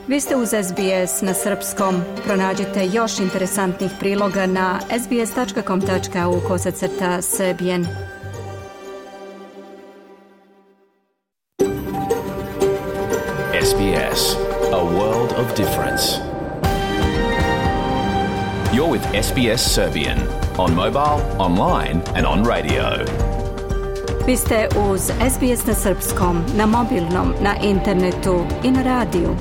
Vi ste uz SBS na srpskom. Pronađite još interesantnih priloga na sbs.com.au/serbian. SBS, a world of difference. You're with SBS Serbian on mobile, online and on radio. Vi ste uz SBS na srpskom, na mobilnom, na internetu i na radiju.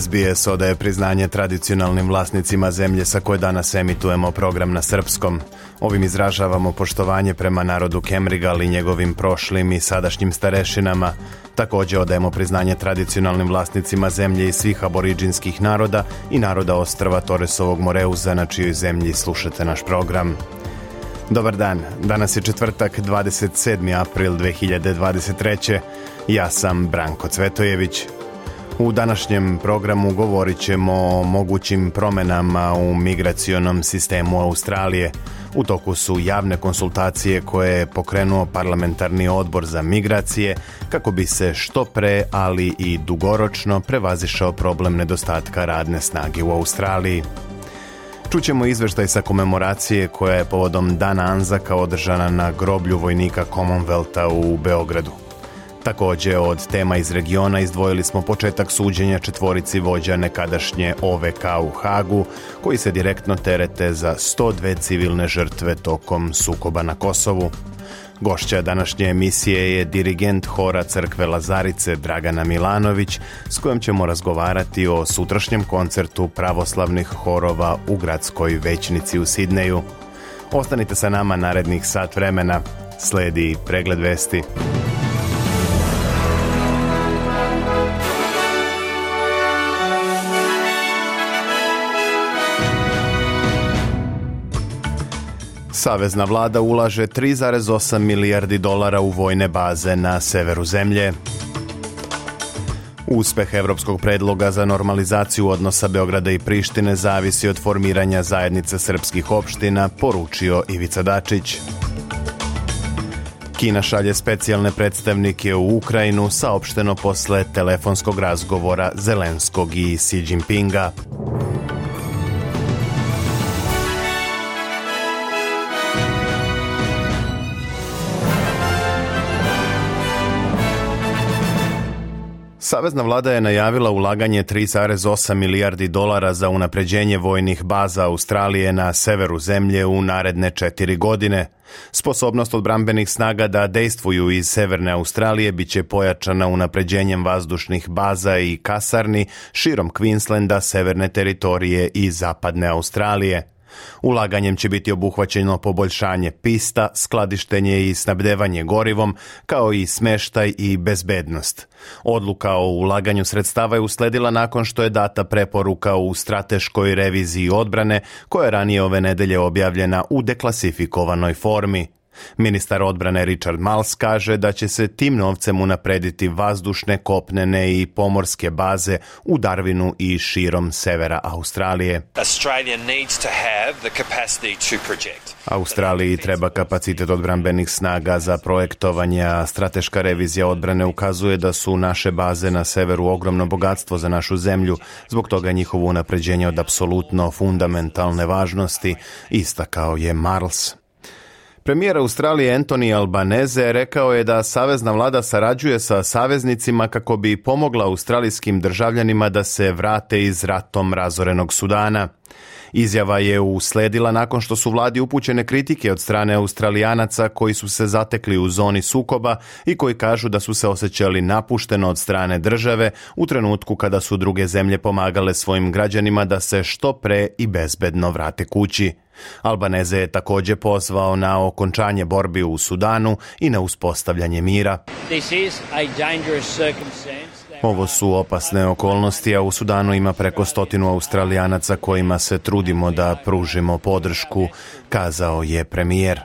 SBS odaje priznanje tradicionalnim vlasnicima zemlje sa koje danas emitujemo program na srpskom. Ovim izražavamo poštovanje prema narodu Kemrigal i njegovim prošlim i sadašnjim starešinama. Također odajemo priznanje tradicionalnim vlasnicima zemlje i svih aboriđinskih naroda i naroda ostrva Toresovog Moreuza, na čijoj zemlji slušate naš program. Dobar dan, danas je četvrtak, 27. april 2023. Ja sam Branko Cvetojević. U današnjem programu govorit ćemo o mogućim promjenama u migracionom sistemu Australije. U toku su javne konsultacije koje je pokrenuo parlamentarni odbor za migracije kako bi se što pre, ali i dugoročno prevazišao problem nedostatka radne snage u Australiji. Čućemo izveštaj sa komemoracije koja je povodom Dana Anzaka održana na groblju vojnika Commonwealtha u Beogradu. Također od tema iz regiona izdvojili smo početak suđenja četvorici vođa nekadašnje OVK u Hagu, koji se direktno terete za 102 civilne žrtve tokom sukoba na Kosovu. Gošća današnje emisije je dirigent hora crkve Lazarice Dragana Milanović, s kojom ćemo razgovarati o sutrašnjem koncertu pravoslavnih horova u gradskoj većnici u Sidneju. Ostanite sa nama narednih sat vremena. Sledi pregled vesti. Savezna vlada ulaže 3,8 milijardi dolara u vojne baze na severu zemlje. Uspeh evropskog predloga za normalizaciju odnosa Beograda i Prištine zavisi od formiranja zajednice srpskih opština, poručio Ivica Dačić. Kina šalje specijalne predstavnike u Ukrajinu, saopšteno posle telefonskog razgovora Zelenskog i Xi Jinpinga. Savezna vlada je najavila ulaganje 3,8 milijardi dolara za unapređenje vojnih baza Australije na severu zemlje u naredne 4 godine. Sposobnost odbrambenih snaga da dejstvuju iz severne Australije biće pojačana unapređenjem vazdušnih baza i kasarni širom Queenslanda, severne teritorije i zapadne Australije. Ulaganjem će biti obuhvaćeno poboljšanje pista, skladištenje i snabdevanje gorivom, kao i smeštaj i bezbednost. Odluka o ulaganju sredstava je usledila nakon što je data preporuka u strateškoj reviziji odbrane, koja je ranije ove nedelje objavljena u deklasifikovanoj formi. Ministar odbrane Richard Marles kaže da će se tim novcem unaprediti vazdušne, kopnene i pomorske baze u Darwinu i širom severa Australije. Australiji treba kapacitet odbrambenih snaga za projektovanje, a strateška revizija odbrane ukazuje da su naše baze na severu ogromno bogatstvo za našu zemlju, zbog toga njihovo unapređenje od apsolutno fundamentalne važnosti, istakao je Marles. Premijer Australije Anthony Albanese rekao je da savezna vlada sarađuje sa saveznicima kako bi pomogla australijskim državljanima da se vrate iz ratom razorenog Sudana. Izjava je usledila nakon što su vladi upućene kritike od strane Australijanaca koji su se zatekli u zoni sukoba i koji kažu da su se osjećali napušteno od strane države u trenutku kada su druge zemlje pomagale svojim građanima da se što pre i bezbedno vrate kući. Albanese je također pozvao na okončanje borbi u Sudanu i na uspostavljanje mira. Ovo su opasne okolnosti, a u Sudanu ima preko 100 Australijanaca kojima se trudimo da pružimo podršku, kazao je premijer.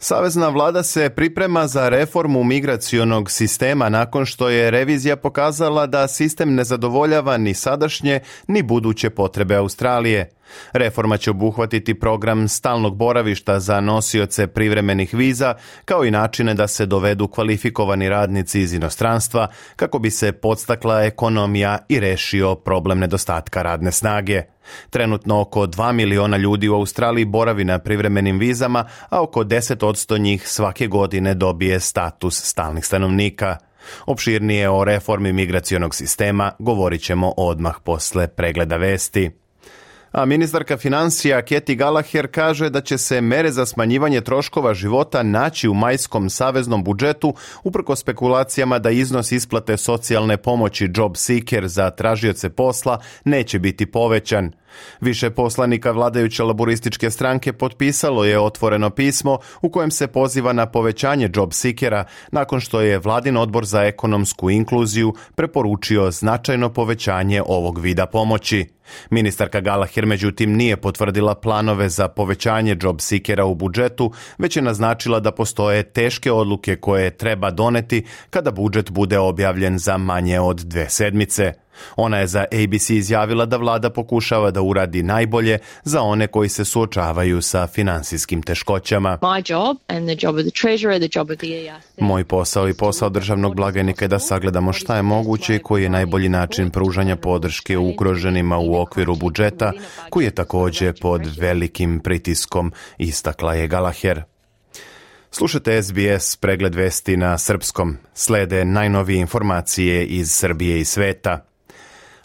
Savezna vlada se priprema za reformu migracionog sistema nakon što je revizija pokazala da sistem ne zadovoljava ni sadašnje ni buduće potrebe Australije. Reforma će obuhvatiti program stalnog boravišta za nosioce privremenih viza, kao i načine da se dovedu kvalifikovani radnici iz inostranstva kako bi se podstakla ekonomija i rešio problem nedostatka radne snage. Trenutno oko 2 miliona ljudi u Australiji boravi na privremenim vizama, a oko 10% njih svake godine dobije status stalnih stanovnika. Opširnije o reformi migracionog sistema govorit ćemo odmah posle pregleda vesti. A ministarka financija Katy Gallagher kaže da će se mere za smanjivanje troškova života naći u majskom saveznom budžetu uprkos spekulacijama da iznos isplate socijalne pomoći Job Seeker za tražioce posla neće biti povećan. Više poslanika vladajuće laborističke stranke potpisalo je otvoreno pismo u kojem se poziva na povećanje Job Seekera nakon što je vladin odbor za ekonomsku inkluziju preporučio značajno povećanje ovog vida pomoći. Ministarka Gallagher međutim nije potvrdila planove za povećanje Job Seekera u budžetu, već je naznačila da postoje teške odluke koje treba doneti kada budžet bude objavljen za manje od 2 sedmice. Ona je za ABC izjavila da vlada pokušava da uradi najbolje za one koji se suočavaju sa finansijskim teškoćama. Moj posao i posao državnog blagajnika je da sagledamo šta je moguće i koji je najbolji način pružanja podrške ugroženima u okviru budžeta, koji je također pod velikim pritiskom, istakla je Gallagher. Slušajte SBS pregled vesti na srpskom. Slede najnovije informacije iz Srbije i sveta.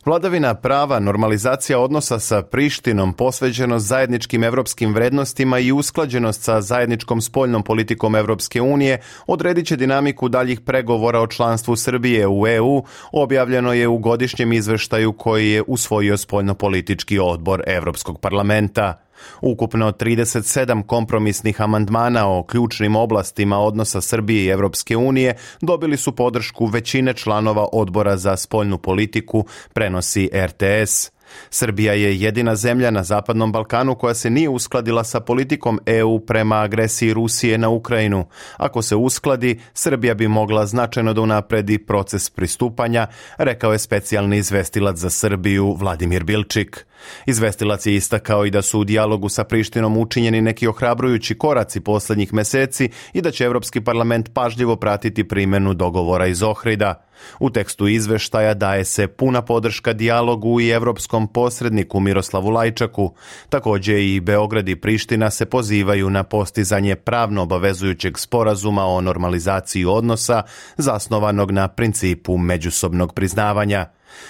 Vladavina prava, normalizacija odnosa sa Prištinom, posvećenost zajedničkim evropskim vrednostima i usklađenost sa zajedničkom spoljnom politikom Evropske unije odredit će dinamiku daljih pregovora o članstvu Srbije u EU, objavljeno je u godišnjem izveštaju koji je usvojio spoljnopolitički odbor Evropskog parlamenta. Ukupno 37 kompromisnih amandmana o ključnim oblastima odnosa Srbije i Evropske unije dobili su podršku većine članova odbora za spoljnu politiku, prenosi RTS. Srbija je jedina zemlja na Zapadnom Balkanu koja se nije uskladila sa politikom EU prema agresiji Rusije na Ukrajinu. Ako se uskladi, Srbija bi mogla značajno da unapredi proces pristupanja, rekao je specijalni izvestilac za Srbiju Vladimir Bilčik. Izvestilac je istakao i da su u dijalogu sa Prištinom učinjeni neki ohrabrujući koraci posljednjih meseci i da će Evropski parlament pažljivo pratiti primjenu dogovora iz Ohrida. U tekstu izveštaja daje se puna podrška dijalogu i evropskom posredniku Miroslavu Lajčaku. Također i Beograd i Priština se pozivaju na postizanje pravno obavezujućeg sporazuma o normalizaciji odnosa zasnovanog na principu međusobnog priznavanja.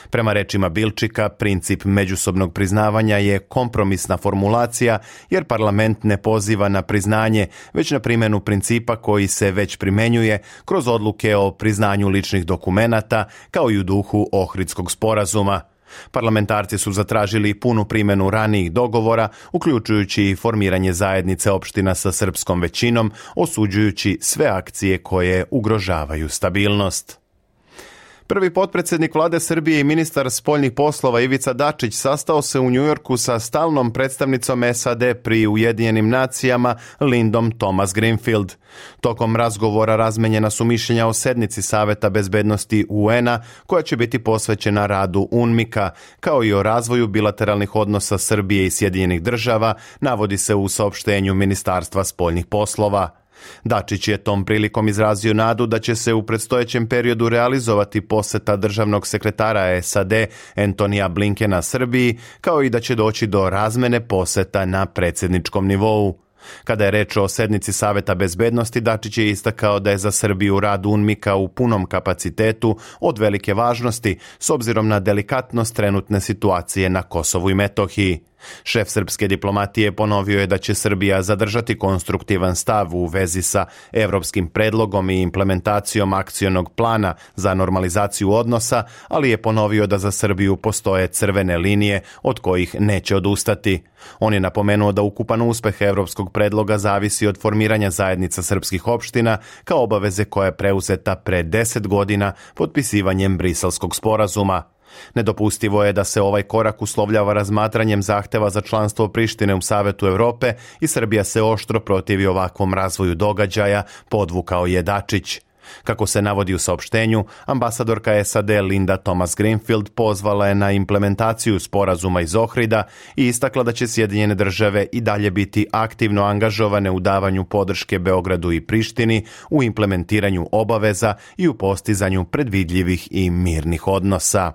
Prema rečima Bilčika, princip međusobnog priznavanja je kompromisna formulacija jer parlament ne poziva na priznanje, već na primjenu principa koji se već primenjuje kroz odluke o priznanju ličnih dokumenata kao i u duhu Ohridskog sporazuma. Parlamentarci su zatražili punu primjenu ranijih dogovora, uključujući i formiranje zajednice opština sa srpskom većinom, osuđujući sve akcije koje ugrožavaju stabilnost. Prvi potpredsjednik vlade Srbije i ministar spoljnih poslova Ivica Dačić sastao se u Njujorku sa stalnom predstavnicom SAD pri Ujedinjenim nacijama Lindom Thomas Greenfield. Tokom razgovora razmenjena su mišljenja o sednici Saveta bezbednosti UN-a koja će biti posvećena radu UNMIK-a, kao i o razvoju bilateralnih odnosa Srbije i Sjedinjenih država, navodi se u saopštenju Ministarstva spoljnih poslova. Dačić je tom prilikom izrazio nadu da će se u predstojećem periodu realizovati poseta državnog sekretara SAD Antonija Blinkena Srbiji, kao i da će doći do razmene poseta na predsjedničkom nivou. Kada je reč o sednici Saveta bezbednosti, Dačić je istakao da je za Srbiju rad UNMIK-a u punom kapacitetu od velike važnosti s obzirom na delikatnost trenutne situacije na Kosovu i Metohiji. Šef srpske diplomatije ponovio je da će Srbija zadržati konstruktivan stav u vezi sa evropskim predlogom i implementacijom akcionog plana za normalizaciju odnosa, ali je ponovio da za Srbiju postoje crvene linije od kojih neće odustati. On je napomenuo da ukupan uspeh evropskog predloga zavisi od formiranja zajednica srpskih opština kao obaveze koja je preuzeta pre 10 godina potpisivanjem Briselskog sporazuma. Nedopustivo je da se ovaj korak uslovljava razmatranjem zahteva za članstvo Prištine u Savetu Evrope i Srbija se oštro protivi ovakvom razvoju događaja, podvukao je Dačić. Kako se navodi u saopštenju, ambasadorka SAD Linda Thomas-Greenfield pozvala je na implementaciju sporazuma iz Ohrida i istakla da će Sjedinjene države i dalje biti aktivno angažovane u davanju podrške Beogradu i Prištini u implementiranju obaveza i u postizanju predvidljivih i mirnih odnosa.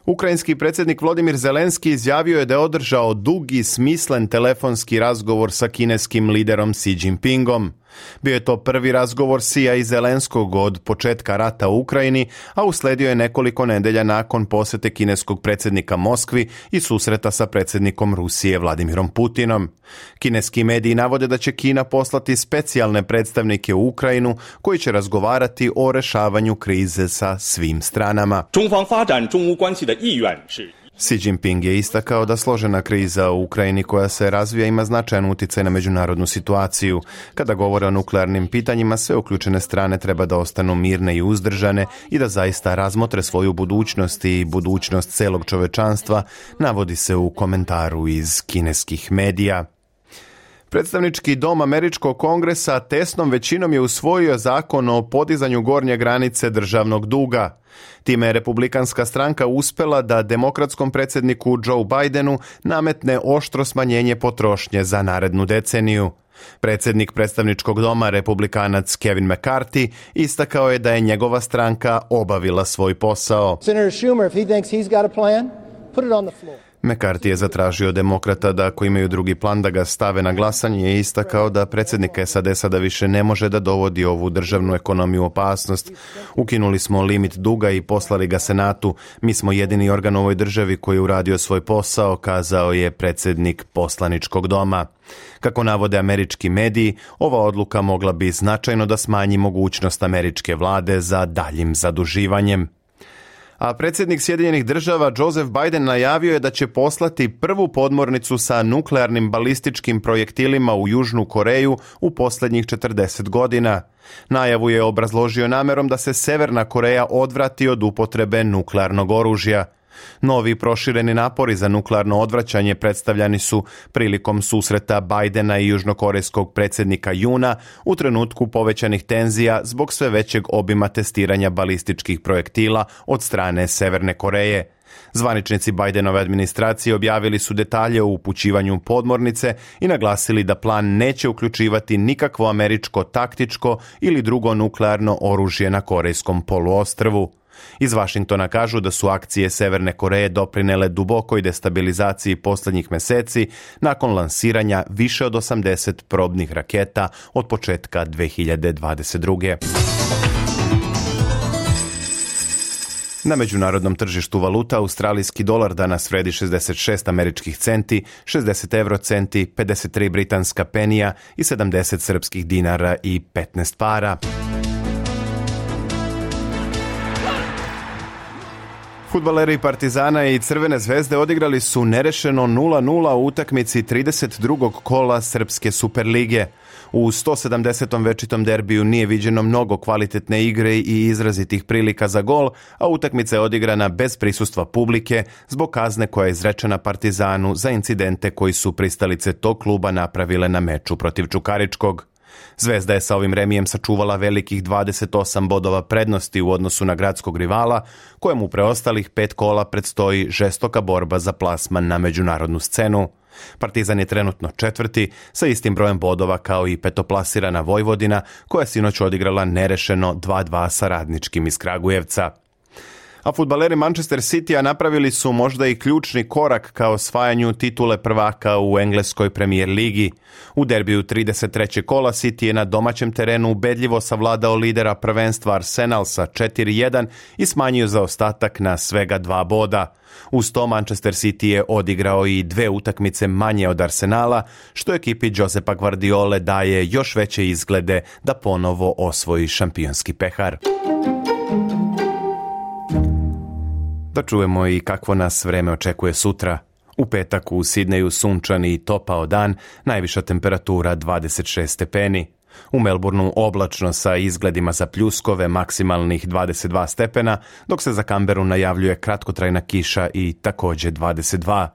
Ukrajinski predsjednik Volodymyr Zelenski izjavio je da je održao dug i smislen telefonski razgovor sa kineskim liderom Xi Jinpingom. Bio je to prvi razgovor Xija i Zelenskog od početka rata u Ukrajini, a usledio je nekoliko nedelja nakon posjete kineskog predsjednika Moskvi i susreta sa predsjednikom Rusije Vladimirom Putinom. Kineski mediji navode da će Kina poslati specijalne predstavnike u Ukrajinu koji će razgovarati o rešavanju krize sa svim stranama. Xi Jinping je istakao da složena kriza u Ukrajini koja se razvija ima značajan utjecaj na međunarodnu situaciju. Kada govore o nuklearnim pitanjima, sve uključene strane treba da ostanu mirne i uzdržane i da zaista razmotre svoju budućnost i budućnost celog čovečanstva, navodi se u komentaru iz kineskih medija. Predstavnički dom Američkog kongresa tesnom većinom je usvojio zakon o podizanju gornje granice državnog duga. Time je republikanska stranka uspela da demokratskom predsjedniku Joe Bidenu nametne oštro smanjenje potrošnje za narednu deceniju. Predsjednik predstavničkog doma, republikanac Kevin McCarthy, istakao je da je njegova stranka obavila svoj posao. Senator Schumer, if he thinks he's got a plan, put it on the floor. McCarthy je zatražio demokrata da ako imaju drugi plan da ga stave na glasanje i istakao da predsjednik SAD sada više ne može da dovodi ovu državnu ekonomiju u opasnost. Ukinuli smo limit duga i poslali ga Senatu. Mi smo jedini organ u ovoj državi koji je uradio svoj posao, kazao je predsjednik poslaničkog doma. Kako navode američki mediji, ova odluka mogla bi značajno da smanji mogućnost američke vlade za daljim zaduživanjem. A predsjednik Sjedinjenih država Joseph Biden najavio je da će poslati prvu podmornicu sa nuklearnim balističkim projektilima u Južnu Koreju u posljednjih 40 godina. Najavu je obrazložio namerom da se Severna Koreja odvrati od upotrebe nuklearnog oružja. Novi prošireni napori za nuklearno odvraćanje predstavljani su prilikom susreta Bidena i južnokorejskog predsjednika Juna u trenutku povećanih tenzija zbog sve većeg obima testiranja balističkih projektila od strane Severne Koreje. Zvaničnici Bidenove administracije objavili su detalje o upućivanju podmornice i naglasili da plan neće uključivati nikakvo američko taktičko ili drugo nuklearno oružje na Korejskom poluostrvu. Iz Vašingtona kažu da su akcije Severne Koreje doprinele dubokoj destabilizaciji posljednjih mjeseci nakon lansiranja više od 80 probnih raketa od početka 2022. Na međunarodnom tržištu valuta australijski dolar danas vredi 66 američkih centi, 60 eurocenti, 53 britanska penija i 70 srpskih dinara i 15 para. Fudbaleri Partizana i Crvene zvezde odigrali su nerešeno 0-0 u utakmici 32. kola Srpske Superlige. U 170. večitom derbiju nije viđeno mnogo kvalitetne igre i izrazitih prilika za gol, a utakmica je odigrana bez prisustva publike zbog kazne koja je izrečena Partizanu za incidente koji su pristalice tog kluba napravile na meču protiv Čukaričkog. Zvezda je sa ovim remijem sačuvala velikih 28 bodova prednosti u odnosu na gradskog rivala, kojemu preostalih 5 kola predstoji žestoka borba za plasman na međunarodnu scenu. Partizan je trenutno četvrti sa istim brojem bodova kao i petoplasirana Vojvodina, koja sinoć odigrala nerešeno 2-2 sa Radničkim iz Kragujevca. A fudbaleri Manchester Citya napravili su možda i ključni korak ka osvajanju titule prvaka u engleskoj Premier ligi. U derbiju 33. kola City je na domaćem terenu ubedljivo savladao lidera prvenstva Arsenal sa 4-1 i smanjio zaostatak na svega 2 boda. Uz to Manchester City je odigrao i 2 utakmice manje od Arsenala, što ekipi Josepa Guardiole daje još veće izglede da ponovo osvoji šampionski pehar. Da čujemo i kakvo nas vreme očekuje sutra. U petak u Sidneju sunčan i topao dan, najviša temperatura 26 stepeni. U Melbourneu oblačno sa izgledima za pljuskove, maksimalnih 22 stepena, dok se za Canberru najavljuje kratkotrajna kiša i također 22.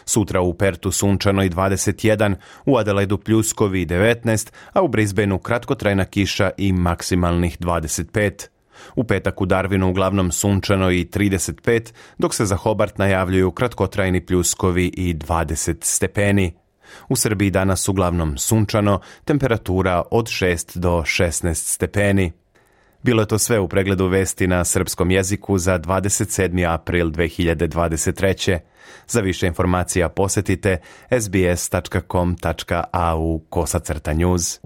Sutra u Pertu sunčano i 21, u Adelaidu pljuskovi 19, a u Brisbaneu kratkotrajna kiša i maksimalnih 25. U petak u Darwinu uglavnom sunčano i 35, dok se za Hobart najavljuju kratkotrajni pljuskovi i 20 stepeni. U Srbiji danas uglavnom sunčano, temperatura od 6 do 16 stepeni. Bilo je to sve u pregledu vesti na srpskom jeziku za 27. april 2023. Za više informacija posjetite sbs.com.au/news.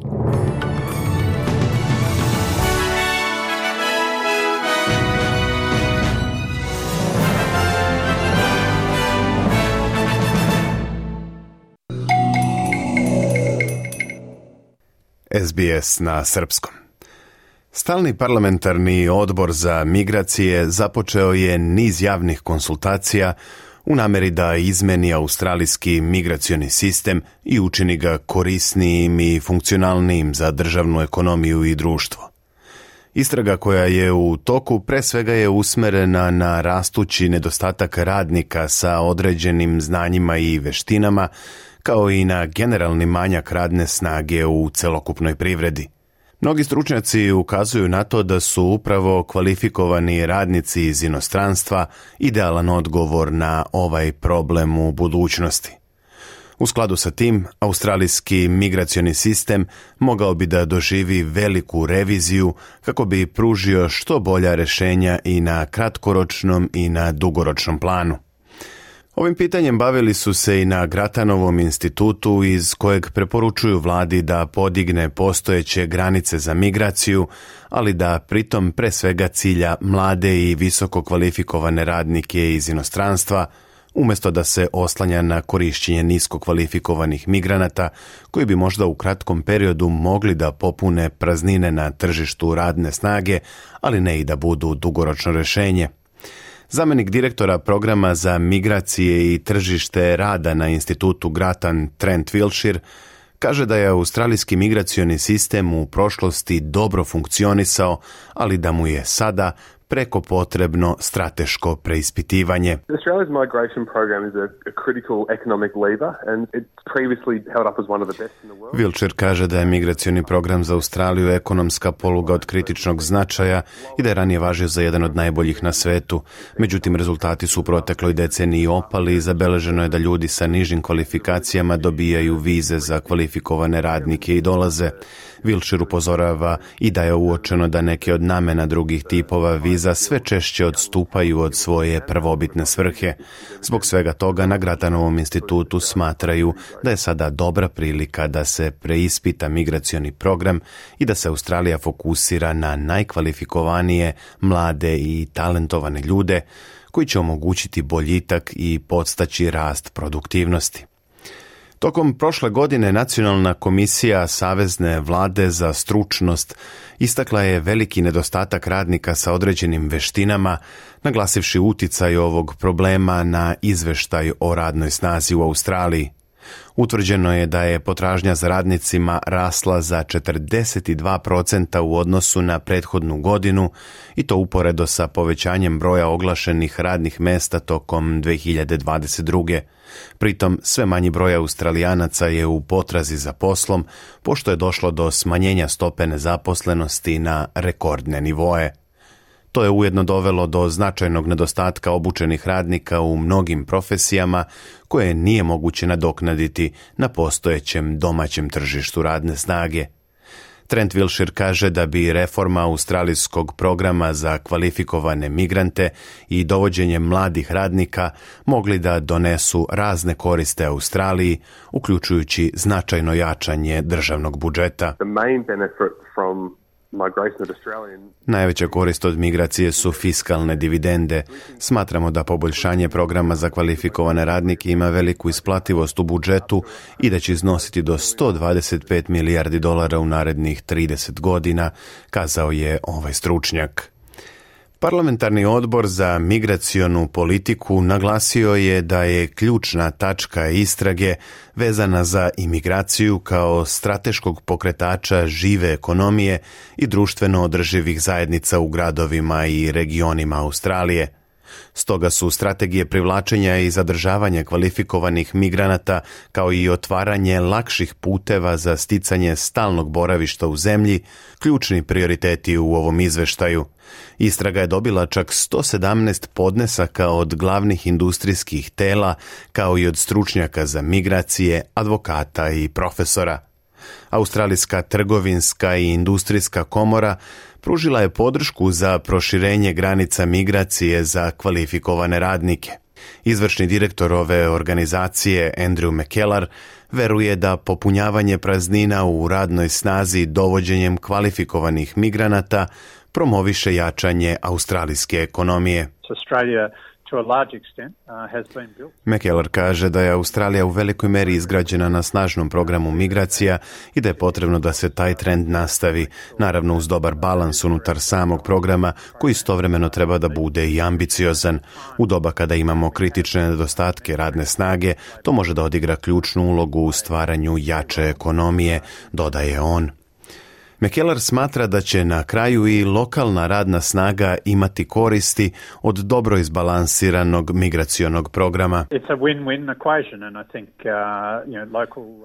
SBS na srpskom. Stalni parlamentarni odbor za migracije započeo je niz javnih konsultacija u nameri da izmeni australijski migracioni sistem i učini ga korisnijim i funkcionalnijim za državnu ekonomiju i društvo. Istraga koja je u toku pre svega je usmerena na rastući nedostatak radnika sa određenim znanjima i veštinama, kao i na generalni manjak radne snage u celokupnoj privredi. Mnogi stručnjaci ukazuju na to da su upravo kvalifikovani radnici iz inostranstva idealan odgovor na ovaj problem u budućnosti. U skladu sa tim, australijski migracioni sistem mogao bi da doživi veliku reviziju kako bi pružio što bolja rješenja i na kratkoročnom i na dugoročnom planu. Ovim pitanjem bavili su se i na Gratanovom institutu iz kojeg preporučuju vladi da podigne postojeće granice za migraciju, ali da pritom pre svega cilja mlade i visoko kvalifikovane radnike iz inostranstva, umjesto da se oslanja na korišćenje nisko kvalifikovanih migranata koji bi možda u kratkom periodu mogli da popune praznine na tržištu radne snage, ali ne i da budu dugoročno rješenje. Zamjenik direktora programa za migracije i tržište rada na institutu Gratan Trent Wilshire kaže da je australijski migracioni sistem u prošlosti dobro funkcionisao, ali da mu je sada preko potrebno strateško preispitivanje. Australia's migration program is a critical economic lever and it's previously held up as one of the best in the world. Wilshire kaže da je migracioni program za Australiju ekonomska poluga od kritičnog značaja i da je ranije važio za jedan od najboljih na svetu. Međutim, rezultati su u protekloj deceniji opali i zabeleženo je da ljudi sa nižim kvalifikacijama dobijaju vize za kvalifikovane radnike i dolaze. Wilshire upozorava i da je uočeno da neke od namena drugih tipova viza sve češće odstupaju od svoje prvobitne svrhe. Zbog svega toga na Gratanovom institutu smatraju da je sada dobra prilika da se preispita migracioni program i da se Australija fokusira na najkvalifikovanije, mlade i talentovane ljude koji će omogućiti boljitak i podstaći rast produktivnosti. Tokom prošle godine Nacionalna komisija Savezne vlade za stručnost istakla je veliki nedostatak radnika sa određenim veštinama, naglasivši uticaj ovog problema na izveštaj o radnoj snazi u Australiji. Utvrđeno je da je potražnja za radnicima rasla za 42% u odnosu na prethodnu godinu i to uporedo sa povećanjem broja oglašenih radnih mesta tokom 2022. Pritom sve manji broj Australijanaca je u potrazi za poslom, pošto je došlo do smanjenja stope nezaposlenosti na rekordne nivoe. To je ujedno dovelo do značajnog nedostatka obučenih radnika u mnogim profesijama koje nije moguće nadoknaditi na postojećem domaćem tržištu radne snage. Trent Wilshire kaže da bi reforma australijskog programa za kvalifikovane migrante i dovođenje mladih radnika mogli da donesu razne koriste Australiji, uključujući značajno jačanje državnog budžeta. The main benefit from migration of Australian... Najveća korist od migracije su fiskalne dividende. Smatramo da poboljšanje programa za kvalifikovane radnike ima veliku isplativost u budžetu i da će iznositi do $125 milijardi u narednih 30 godina, kazao je ovaj stručnjak. Parlamentarni odbor za migracionu politiku naglasio je da je ključna tačka istrage vezana za imigraciju kao strateškog pokretača žive ekonomije i društveno održivih zajednica u gradovima i regionima Australije. Stoga su strategije privlačenja i zadržavanja kvalifikovanih migranata, kao i otvaranje lakših puteva za sticanje stalnog boravišta u zemlji, ključni prioriteti u ovom izveštaju. Istraga je dobila čak 117 podnesaka od glavnih industrijskih tela, kao i od stručnjaka za migracije, advokata i profesora. Australijska trgovinska i industrijska komora pružila je podršku za proširenje granica migracije za kvalifikovane radnike. Izvršni direktor ove organizacije, Andrew McKellar, veruje da popunjavanje praznina u radnoj snazi dovođenjem kvalifikovanih migranata promoviše jačanje australijske ekonomije. McKellar kaže da je Australija u velikoj meri izgrađena na snažnom programu migracija i da je potrebno da se taj trend nastavi, naravno uz dobar balans unutar samog programa koji istovremeno treba da bude i ambiciozan. U doba kada imamo kritične nedostatke radne snage, to može da odigra ključnu ulogu u stvaranju jače ekonomije, dodaje on. McKellar smatra da će na kraju i lokalna radna snaga imati koristi od dobro izbalansiranog migracionog programa.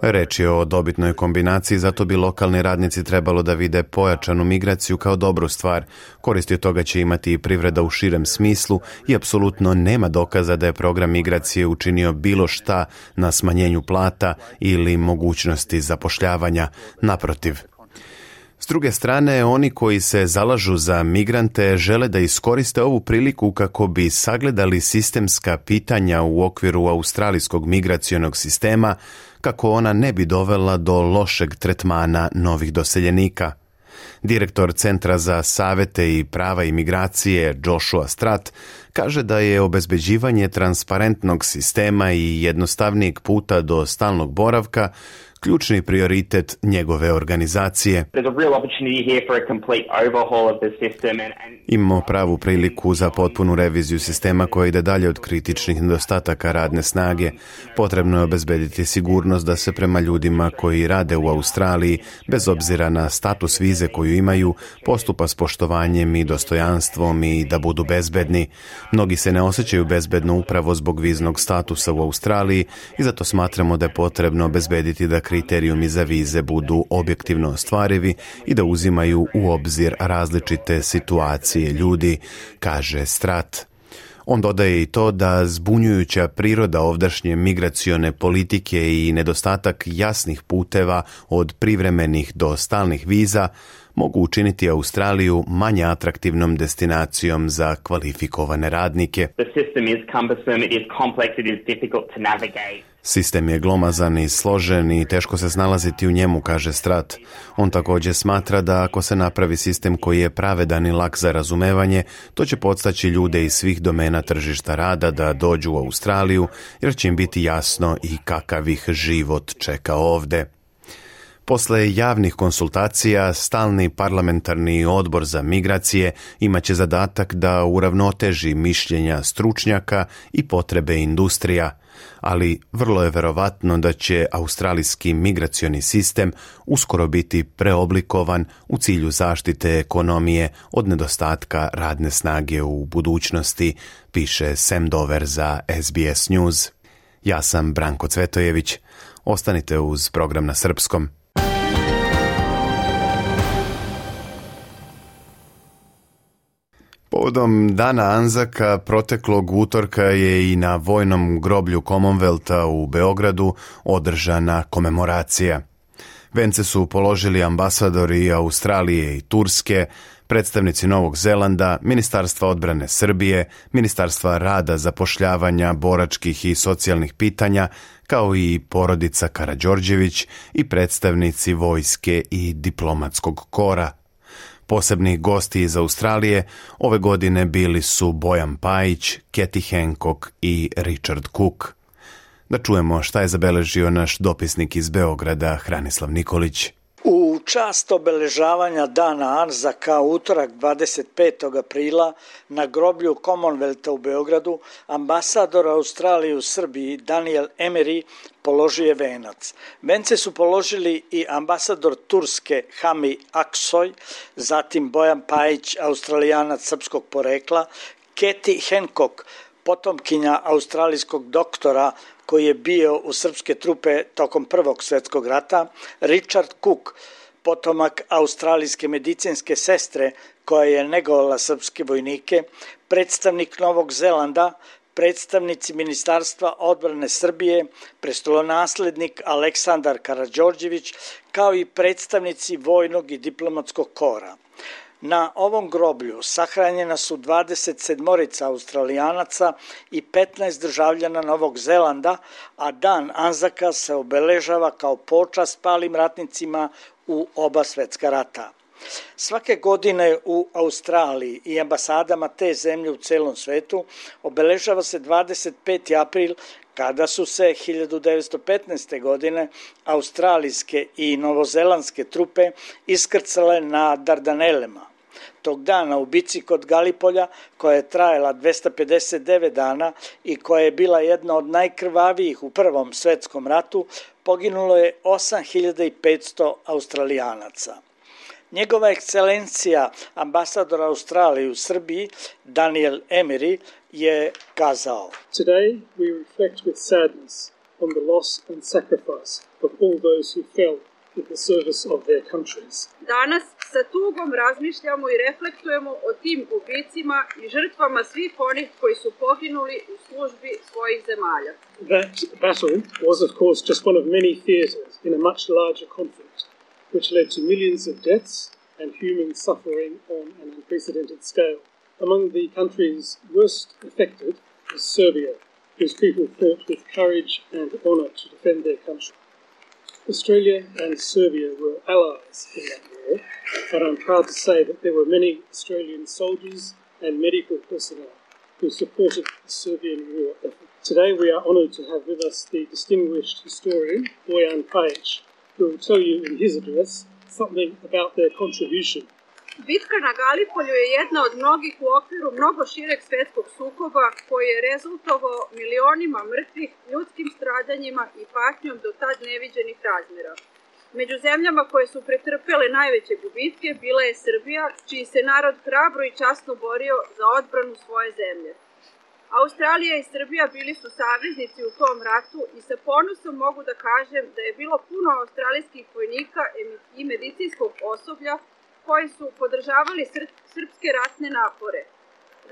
Reč je o dobitnoj kombinaciji, zato bi lokalni radnici trebalo da vide pojačanu migraciju kao dobru stvar. Koristi od toga će imati i privreda u širem smislu i apsolutno nema dokaza da je program migracije učinio bilo šta na smanjenju plata ili mogućnosti zapošljavanja. Naprotiv. S druge strane, oni koji se zalažu za migrante žele da iskoriste ovu priliku kako bi sagledali sistemska pitanja u okviru australijskog migracionog sistema, kako ona ne bi dovela do lošeg tretmana novih doseljenika. Direktor Centra za savete i prava imigracije Joshua Stratt kaže da je obezbeđivanje transparentnog sistema i jednostavnijeg puta do stalnog boravka ključni prioritet njegove organizacije. Imamo pravu priliku za potpunu reviziju sistema koja ide dalje od kritičnih nedostataka radne snage. Potrebno je obezbediti sigurnost da se prema ljudima koji rade u Australiji, bez obzira na status vize koju imaju, postupa s poštovanjem i dostojanstvom i da budu bezbedni. Mnogi se ne osjećaju bezbedno upravo zbog viznog statusa u Australiji i zato smatramo da je potrebno obezbediti da kriterijumi za vize budu objektivno ostvarivi i da uzimaju u obzir različite situacije ljudi, kaže Stratt. On dodaje i to da zbunjujuća priroda ovdašnje migracione politike i nedostatak jasnih puteva od privremenih do stalnih viza mogu učiniti Australiju manje atraktivnom destinacijom za kvalifikovane radnike. Sistem je glomazan i složen i teško se snalaziti u njemu, kaže Stratt. On također smatra da ako se napravi sistem koji je pravedan i lak za razumevanje, to će podstaći ljude iz svih domena tržišta rada da dođu u Australiju, jer će im biti jasno i kakav ih život čeka ovde. Posle javnih konsultacija, stalni parlamentarni odbor za migracije imaće zadatak da uravnoteži mišljenja stručnjaka i potrebe industrija, ali vrlo je verovatno da će australijski migracioni sistem uskoro biti preoblikovan u cilju zaštite ekonomije od nedostatka radne snage u budućnosti, piše Sam Dover za SBS News. Ja sam Branko Cvetojević. Ostanite uz program na srpskom. Povodom Dana Anzaka proteklog utorka je i na vojnom groblju Commonwealtha u Beogradu održana komemoracija. Vence su položili ambasadori Australije i Turske, predstavnici Novog Zelanda, Ministarstva odbrane Srbije, Ministarstva rada, zapošljavanja, boračkih i socijalnih pitanja, kao i porodica Karađorđević i predstavnici vojske i diplomatskog kora. Posebni gosti iz Australije ove godine bili su Bojan Pajić, Kathy Hancock i Richard Cook. Da čujemo šta je zabeležio naš dopisnik iz Beograda, Hranislav Nikolić. U čast obeležavanja Dana Anzaka utorak 25. aprila na groblju Commonwealtha u Beogradu ambasador Australije u Srbiji Daniel Emery položio je venac. Vence su položili i ambasador Turske Hami Aksoy, zatim Bojan Pajić, Australijanac srpskog porekla, Katie Hancock, potomkinja australijskog doktora koji je bio u srpske trupe tokom Prvog svjetskog rata, Richard Cook, potomak australijske medicinske sestre koja je negovala srpske vojnike, predstavnik Novog Zelanda, predstavnici Ministarstva odbrane Srbije, prestolonaslednik Aleksandar Karađorđević, kao i predstavnici vojnog i diplomatskog kora. Na ovom groblju sahranjena su 27 Australijanaca i 15 državljana Novog Zelanda, a dan Anzaka se obeležava kao počast palim ratnicima u oba svetska rata. Svake godine u Australiji i ambasadama te zemlje u celom svetu obeležava se 25. april kada su se 1915. godine australijske i novozelandske trupe iskrcale na Dardanelema. Tog dana u bici kod Galipolja, koja je trajala 259 dana i koja je bila jedna od najkrvavijih u Prvom svetskom ratu, poginulo je 8500 Australijanaca. Njegova ekscelencija, ambasador Australije u Srbiji, Daniel Emery, je kazao: Today we reflect with sadness on the loss and sacrifice of all those who fell in the service of their countries. Danas sa tugom razmišljamo i reflektujemo o tim ubicima i žrtvama svih onih koji su poginuli u službi svojih zemalja. That battle was of course just one of many theatres in a much larger conflict, which led to millions of deaths and human suffering on an unprecedented scale. Among the countries worst affected was Serbia, whose people fought with courage and honour to defend their country. Australia and Serbia were allies in that war, but I'm proud to say that there were many Australian soldiers and medical personnel who supported the Serbian war effort. Today we are honoured to have with us the distinguished historian Bojan Pajic, who will tell you in his address something about their contribution. Bitka na Galipolju je jedna od mnogih u okviru mnogo šireg svetskog sukoba koji je rezultovao milionima mrtvih, ljudskim stradanjima i patnjom do tad neviđenih razmjera. Među zemljama koje su pretrpele najveće gubitke bila je Srbija, čiji se narod hrabro i časno borio za odbranu svoje zemlje. Australija i Srbija bili su saveznici u tom ratu i sa ponosom mogu da kažem da je bilo puno australijskih vojnika i medicinskog osoblja koji su podržavali srpske ratne napore.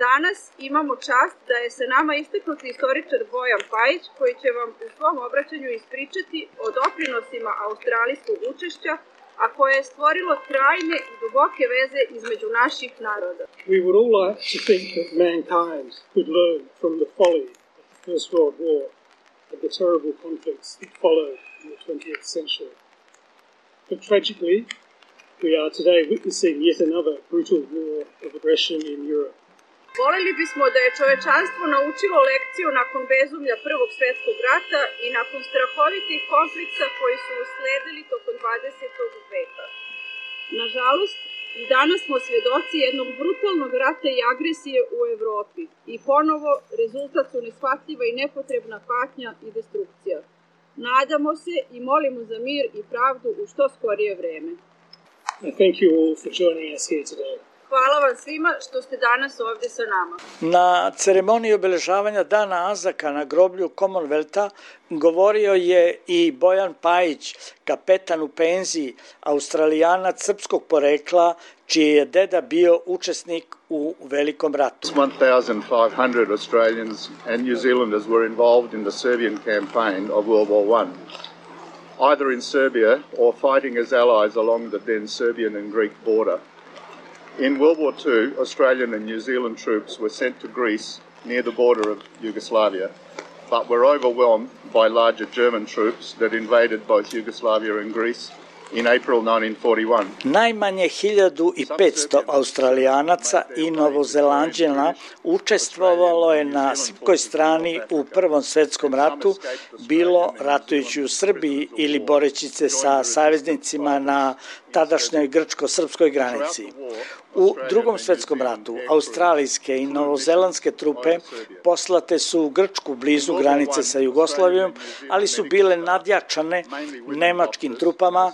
Danas imamo čast da je sa nama istaknuti istoričar Bojan Pajic, koji će vam u svom obraćanju ispričati o doprinosima australijskog učešća, a koje je stvorilo trajne i duboke veze između naših naroda. We would all like to think that mankind could learn from the folly of the First World War and the terrible conflicts that followed in the 20th century. But tragically, we are today witnessing yet another brutal war of aggression in Europe. Voleli bismo da je čovečanstvo naučilo lekciju nakon bezumlja Prvog svjetskog rata i nakon strahovitih konflikta koji su usledili tokom 20. veka. Nažalost, i danas smo svjedoci jednog brutalnog rata i agresije u Evropi i ponovo rezultat su neshvatljiva i nepotrebna patnja i destrukcija. Nadamo se i molimo za mir i pravdu u što skorije vreme. Thank you all for joining us here today. Hvala vam svima što ste danas ovdje sa nama. Na ceremoniji obeležavanja Dana Anzaka na groblju Commonwealtha govorio je i Bojan Pajic, kapetan u penziji, Australijanac srpskog porekla, čiji je deda bio učesnik u Velikom ratu. 1,500 Australians and New Zealanders were involved in the Serbian campaign of World War I, either in Serbia or fighting as allies along the then Serbian and Greek border. In World War II, Australian and New Zealand troops were sent to Greece near the border of Yugoslavia, but were overwhelmed by larger German troops that invaded both Yugoslavia and Greece in April 1941. Najmanje 1500 Australijanaca i Novozelanđana učestvovalo je na srpskoj strani u Prvom svjetskom ratu, bilo ratujući u Srbiji ili boreći se sa saveznicima na tadašnjoj grčko-srpskoj granici. U Drugom svjetskom ratu australijske i novozelandske trupe poslate su u Grčku blizu granice sa Jugoslavijom, ali su bile nadjačane nemačkim trupama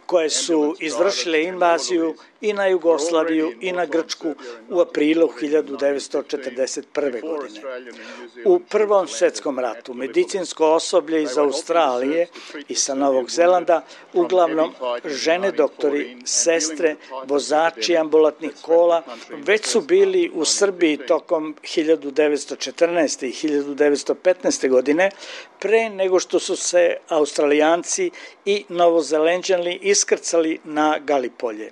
koje su izvršile invaziju i na Jugoslaviju i na Grčku u aprilu 1941. godine. U Prvom svjetskom ratu medicinsko osoblje iz Australije i sa Novog Zelanda, uglavnom žene doktori, sestre, vozači ambulatnih kola, već su bili u Srbiji tokom 1914. i 1915. godine, pre nego što su se Australijanci i Novozelenđani iskrcali na Galipolje.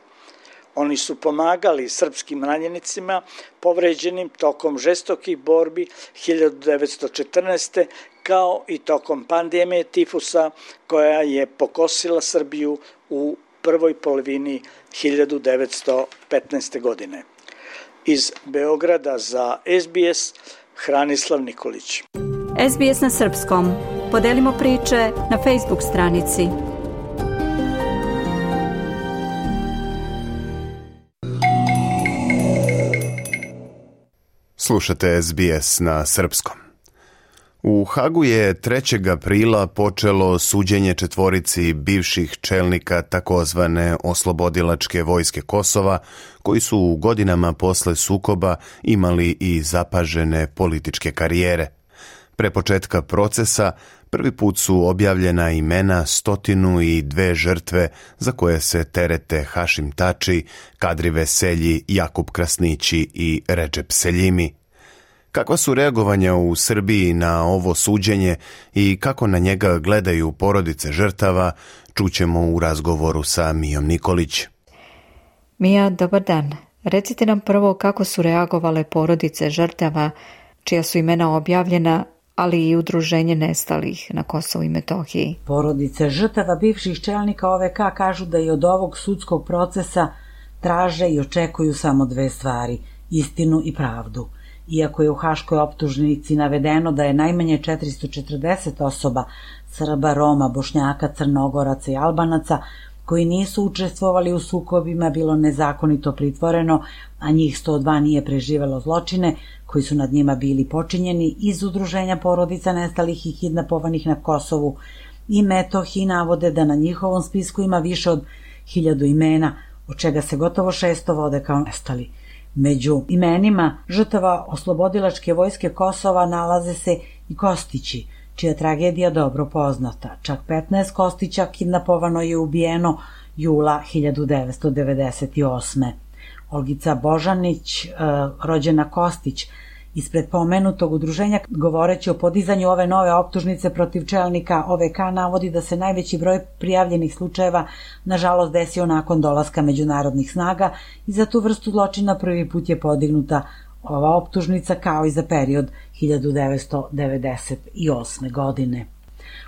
Oni su pomagali srpskim ranjenicima povređenim tokom žestokih borbi 1914. kao i tokom pandemije tifusa koja je pokosila Srbiju u prvoj polovini 1915. godine. Iz Beograda za SBS, Hranislav Nikolić. SBS na srpskom. Podelimo priče na Facebook stranici. Slušate SBS na srpskom. U Hagu je 3. aprila počelo suđenje četvorici bivših čelnika takozvane oslobodilačke vojske Kosova, koji su u godinama posle sukoba imali i zapažene političke karijere. Pre početka procesa prvi put su objavljena imena 102 žrtve za koje se terete Hašim Tači, Kadri Veselji, Jakub Krasnići i Redžep Seljimi. Kakva su reagovanja u Srbiji na ovo suđenje i kako na njega gledaju porodice žrtava, čućemo u razgovoru sa Mijom Nikolić. Mija, dobar dan. Recite nam prvo kako su reagovale porodice žrtava, čija su imena objavljena, ali i udruženje nestalih na Kosovu i Metohiji. Porodice žrtava bivših čelnika OVK kažu da i od ovog sudskog procesa traže i očekuju samo dve stvari, istinu i pravdu. Iako je u haškoj optužnici navedeno da je najmanje 440 osoba, Srba, Roma, Bošnjaka, Crnogoraca i Albanaca, koji nisu učestvovali u sukobima, bilo nezakonito pritvoreno, a njih 102 nije preživelo zločine koji su nad njima bili počinjeni iz udruženja porodica nestalih i kidnapovanih na Kosovu i Metohiji, navode da na njihovom spisku ima više od 1000 imena, od čega se gotovo 600 vode kao nestali. Među imenima žrtava oslobodilačke vojske Kosova nalaze se i Kostići, čija tragedija dobro poznata. Čak 15 Kostića kidnapovano je ubijeno jula 1998. Olgica Božanić, rođena Kostić, ispred pomenutog udruženja, govoreći o podizanju ove nove optužnice protiv čelnika OVK, navodi da se najveći broj prijavljenih slučajeva nažalost desio nakon dolaska međunarodnih snaga i za tu vrstu zločina prvi put je podignuta ova optužnica kao i za period 1998. godine.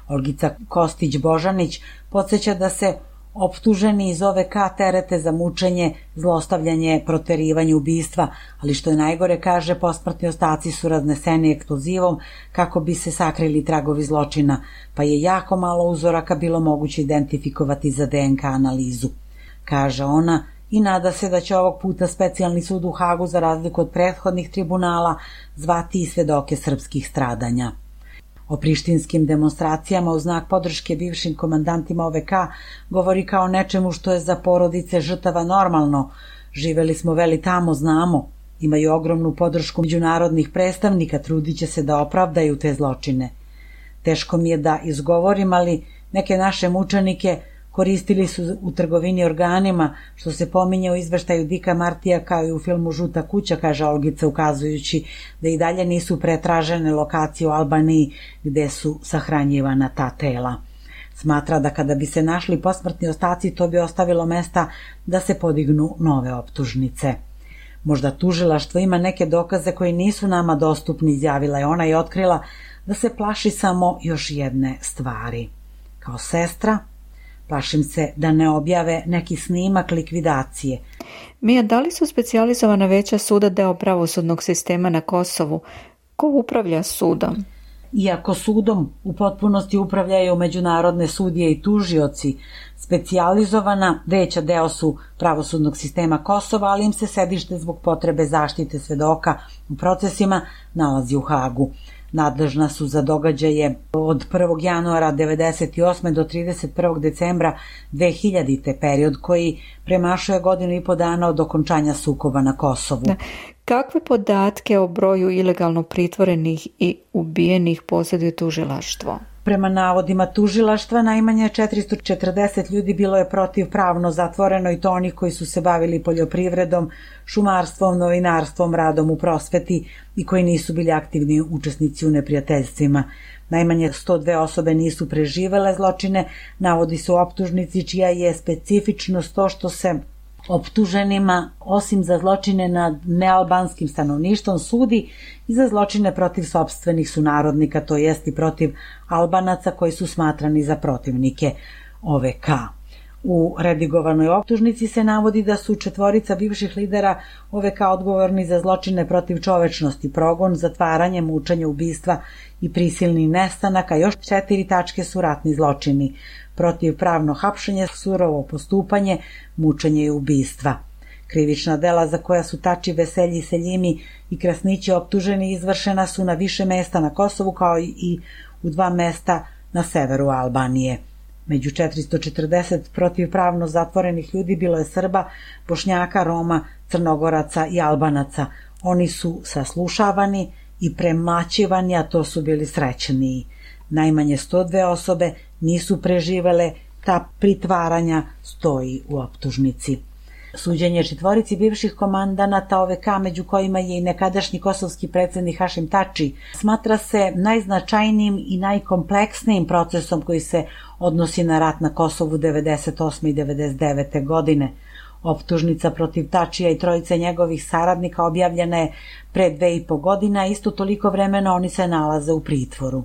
Olgica Kostić-Božanić podsjeća da se optuženi iz OVK terete za mučenje, zlostavljanje, proterivanje, ubistva, ali što je najgore, kaže, posmrtni ostaci su razneseni eksplozivom kako bi se sakrili tragovi zločina, pa je jako malo uzoraka bilo moguće identifikovati za DNK analizu. Kaže ona i nada se da će ovog puta specijalni sud u Hagu, za razliku od prethodnih tribunala, zvati i svedoke srpskih stradanja. O prištinskim demonstracijama u znak podrške bivšim komandantima OVK govori kao nečemu što je za porodice žrtava normalno. Živeli smo veli tamo, znamo. Imaju ogromnu podršku međunarodnih predstavnika, trudit će se da opravdaju te zločine. Teško mi je da izgovorim, ali neke naše mučenike koristili su u trgovini organima, što se pominje u izveštaju Dika Martija kao i u filmu Žuta kuća, kaže Olgica, ukazujući da i dalje nisu pretražene lokacije u Albaniji gde su sahranjivana ta tela. Smatra da kada bi se našli posmrtni ostaci, to bi ostavilo mesta da se podignu nove optužnice. Možda tužilaštvo ima neke dokaze koji nisu nama dostupni, izjavila je ona i otkrila da se plaši samo još jedne stvari. Kao sestra, plašim se da ne objave neki snimak likvidacije. Mija, da li su specijalizovana veća suda deo pravosudnog sistema na Kosovu? Ko upravlja sudom? Iako sudom u potpunosti upravljaju međunarodne sudije i tužioci, specijalizovana veća deo su pravosudnog sistema Kosova, ali im se sedište zbog potrebe zaštite svedoka u procesima nalazi u Hagu. Nadležna su za događaje od 1. januara 1998. do 31. decembra 2000. period koji premašuje 1,5 dana od okončanja sukoba na Kosovu. Kakve podatke o broju ilegalno pritvorenih i ubijenih posjeduje tužilaštvo? Prema navodima tužilaštva, najmanje 440 ljudi bilo je protivpravno zatvoreno, i to onih koji su se bavili poljoprivredom, šumarstvom, novinarstvom, radom u prosveti i koji nisu bili aktivni učesnici u neprijateljstvima. Najmanje 102 osobe nisu preživele zločine, navodi se u optužnici, čija je specifičnost to što se optuženima, osim za zločine nad nealbanskim stanovništvom, sudi i za zločine protiv sopstvenih sunarodnika, to jest i protiv Albanaca koji su smatrani za protivnike OVK. U redigovanoj optužnici se navodi da su 4 bivših lidera OVK odgovorni za zločine protiv čovečnosti, progon, zatvaranje, mučenje, ubistva i prisilni nestanak, a još 4 tačke su ratni zločini, protivpravno hapšenje, surovo postupanje, mučenje i ubistva. Krivična dela za koja su Tači, Veselji, Seljimi i Krasnići optuženi izvršena su na više mesta na Kosovu, kao i u 2 mesta na severu Albanije. Među 440 protivpravno zatvorenih ljudi bilo je Srba, Bošnjaka, Roma, Crnogoraca i Albanaca. Oni su saslušavani i premlaćivani, a to su bili srećniji. Najmanje 102 osobe nisu preživele ta pritvaranja, stoji u optužnici. Suđenje 4 bivših komandanata OVK, među kojima je i nekadašnji kosovski predsjednik Hašim Tači, smatra se najznačajnijim i najkompleksnijim procesom koji se odnosi na rat na Kosovu 98. i 99. godine. Optužnica protiv Tačija i 3 njegovih saradnika objavljena je pre 2,5 godina, a isto toliko vremena oni se nalaze u pritvoru.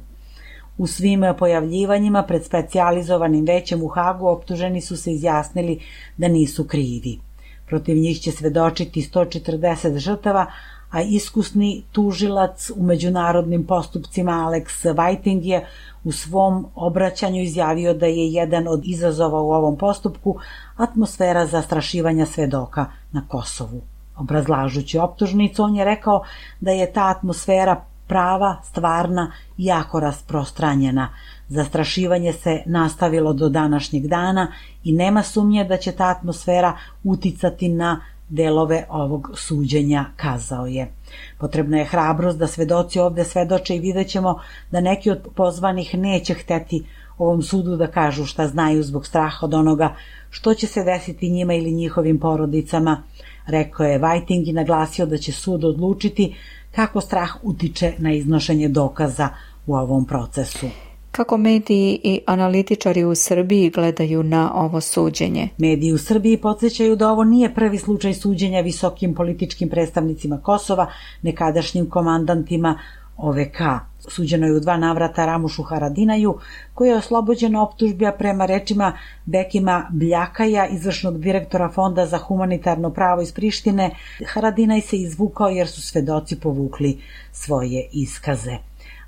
U svim pojavljivanjima pred specijalizovanim većem u Hagu optuženi su se izjasnili da nisu krivi. Protiv njih će svedočiti 140 žrtava, a iskusni tužilac u međunarodnim postupcima Alex Whiting je u svom obraćanju izjavio da je jedan od izazova u ovom postupku atmosfera zastrašivanja svedoka na Kosovu. Obrazlažući optužnicu, on je rekao da je ta atmosfera prava, stvarna i jako rasprostranjena. Zastrašivanje se nastavilo do današnjeg dana i nema sumnje da će ta atmosfera uticati na delove ovog suđenja, kazao je. Potrebna je hrabrost da svedoci ovde svedoče i vidjet ćemo da neki od pozvanih neće hteti ovom sudu da kažu šta znaju zbog straha od onoga što će se desiti njima ili njihovim porodicama, rekao je Whiting i naglasio da će sud odlučiti kako strah utiče na iznošenje dokaza u ovom procesu. Kako mediji i analitičari u Srbiji gledaju na ovo suđenje? Mediji u Srbiji podsjećaju da ovo nije prvi slučaj suđenja visokim političkim predstavnicima Kosova, nekadašnjim komandantima OVK. Suđeno je u 2 navrata Ramušu Haradinaju, koji je oslobođen optužbi, a prema rečima Bekima Bljakaja, izvršnog direktora Fonda za humanitarno pravo iz Prištine, Haradinaj se izvukao jer su svedoci povukli svoje iskaze.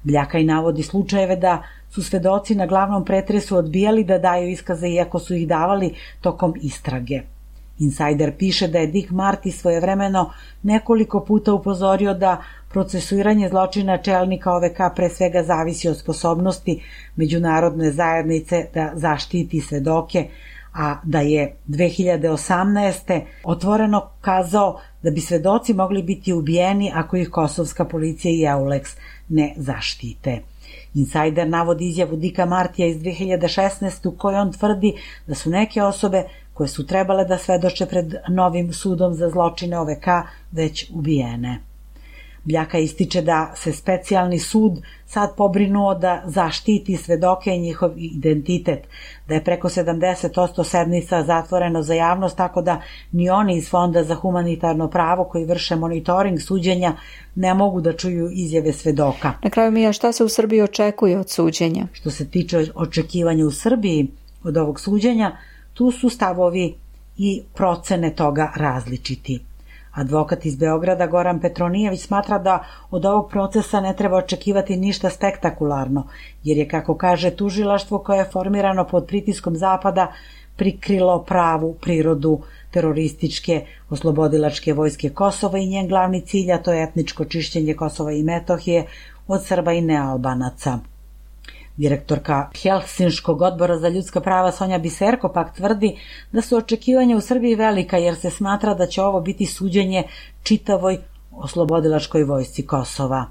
Bljakaj navodi slučajeve da su svedoci na glavnom pretresu odbijali da daju iskaze iako su ih davali tokom istrage. Insider piše da je Dick Marty svojevremeno nekoliko puta upozorio da procesuiranje zločina čelnika OVK pre svega zavisi od sposobnosti međunarodne zajednice da zaštiti svedoke, a da je 2018. otvoreno kazao da bi svedoci mogli biti ubijeni ako ih kosovska policija i EULEX ne zaštite. Insider navodi izjavu Dicka Martija iz 2016. u kojoj on tvrdi da su neke osobe koje su trebale da svedoče pred novim sudom za zločine OVK već ubijene. Bljaka ističe da se specijalni sud sad pobrinuo da zaštiti svedoke i njihov identitet, da je preko 70% sednica zatvoreno za javnost, tako da ni oni iz Fonda za humanitarno pravo koji vrše monitoring suđenja ne mogu da čuju izjave svedoka. Na kraju, Mija, šta se u Srbiji očekuje od suđenja? Što se tiče očekivanja u Srbiji od ovog suđenja, tu su stavovi i procene toga različiti. Advokat iz Beograda Goran Petronijević smatra da od ovog procesa ne treba očekivati ništa spektakularno, jer je, kako kaže, tužilaštvo koje je formirano pod pritiskom Zapada prikrilo pravu prirodu terorističke oslobodilačke vojske Kosova i njen glavni cilj, a to je etničko čišćenje Kosova i Metohije, od Srba i nealbanaca. Direktorka Helsinškog odbora za ljudska prava Sonja Biserko pak tvrdi da su očekivanja u Srbiji velika jer se smatra da će ovo biti suđenje čitavoj oslobodilačkoj vojsci Kosova.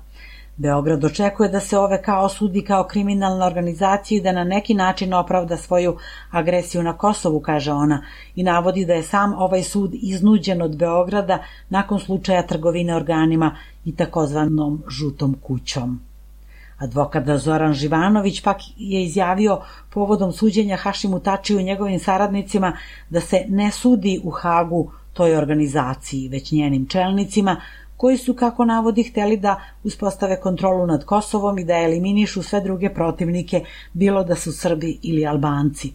Beograd očekuje da se OVK osudi kao kriminalna organizacija i da na neki način opravda svoju agresiju na Kosovu, kaže ona, i navodi da je sam ovaj sud iznuđen od Beograda nakon slučaja trgovine organima i takozvanom žutom kućom. Advokat Zoran Živanović pak je izjavio povodom suđenja Hašimu Tačiju i njegovim saradnicima da se ne sudi u Hagu toj organizaciji, već njenim čelnicima, koji su, kako navodi, hteli da uspostave kontrolu nad Kosovom i da eliminišu sve druge protivnike, bilo da su Srbi ili Albanci.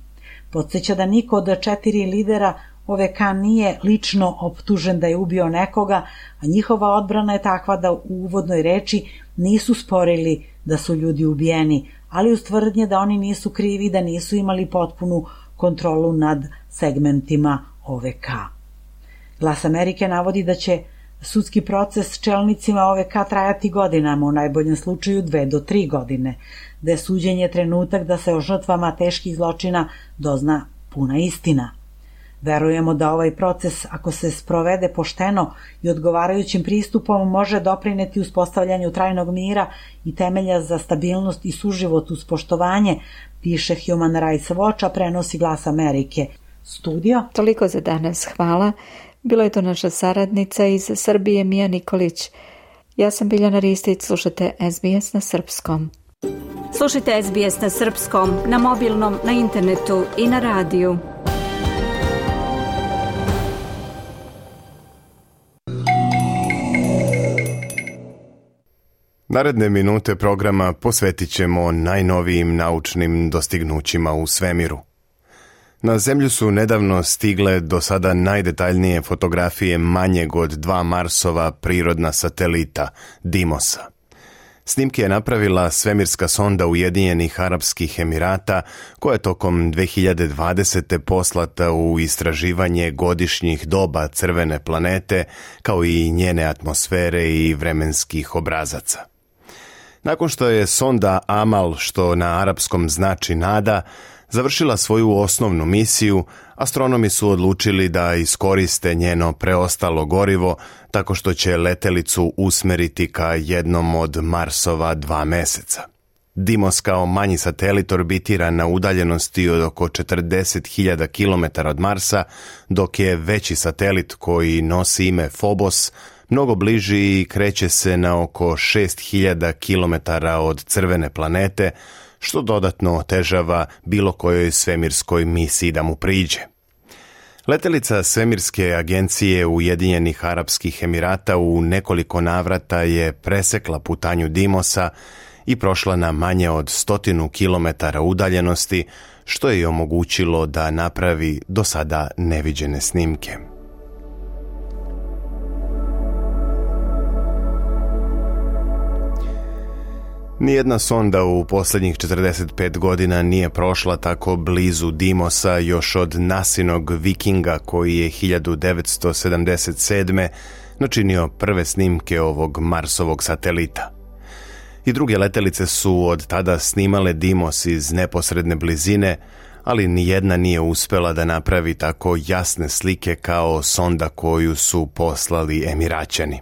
Podsjeća da niko od 4 lidera OVK nije lično optužen da je ubio nekoga, a njihova odbrana je takva da u uvodnoj reči nisu sporili da su ljudi ubijeni, ali uz tvrdnje da oni nisu krivi, da nisu imali potpunu kontrolu nad segmentima OVK. Glas Amerike navodi da će sudski proces čelnicima OVK trajati godinama, u najboljem slučaju 2 do 3 godine, da je suđenje trenutak da se o žrtvama teških zločina dozna puna istina. Verujemo da ovaj proces, ako se sprovede pošteno i odgovarajućim pristupom, može doprineti uspostavljanju trajnog mira i temelja za stabilnost i suživot uz poštovanje, piše Human Rights Watch, a prenosi Glas Amerike. Studio? Toliko za danas, hvala. Bila je to naša saradnica iz Srbije, Mija Nikolić. Ja sam Biljana Ristić, slušate SBS na srpskom. Slušajte SBS na srpskom, na mobilnom, na internetu i na radiju. Naredne minute programa posvetit ćemo najnovijim naučnim dostignućima u svemiru. Na Zemlju su nedavno stigle do sada najdetaljnije fotografije manjeg od 2 Marsova prirodna satelita, Dimosa. Snimke je napravila svemirska sonda Ujedinjenih Arapskih Emirata, koja je tokom 2020. poslata u istraživanje godišnjih doba crvene planete, kao i njene atmosfere i vremenskih obrazaca. Nakon što je sonda Amal, što na arapskom znači nada, završila svoju osnovnu misiju, astronomi su odlučili da iskoriste njeno preostalo gorivo tako što će letelicu usmeriti ka jednom od Marsova 2 meseca. Dimos kao manji satelit orbitira na udaljenosti od oko 40.000 km od Marsa, dok je veći satelit koji nosi ime Phobos mnogo bliži i kreće se na oko 6.000 km od crvene planete, što dodatno otežava bilo kojoj svemirskoj misiji da mu priđe. Letelica svemirske agencije Ujedinjenih Arapskih Emirata u nekoliko navrata je presekla putanju Dimosa i prošla na manje od 100 km udaljenosti, što je omogućilo da napravi do sada neviđene snimke. Nijedna sonda u posljednjih 45 godina nije prošla tako blizu Dimosa još od Nasinog Vikinga, koji je 1977. načinio prve snimke ovog Marsovog satelita. I druge letelice su od tada snimale Dimos iz neposredne blizine, ali nijedna nije uspela da napravi tako jasne slike kao sonda koju su poslali Emiraćani.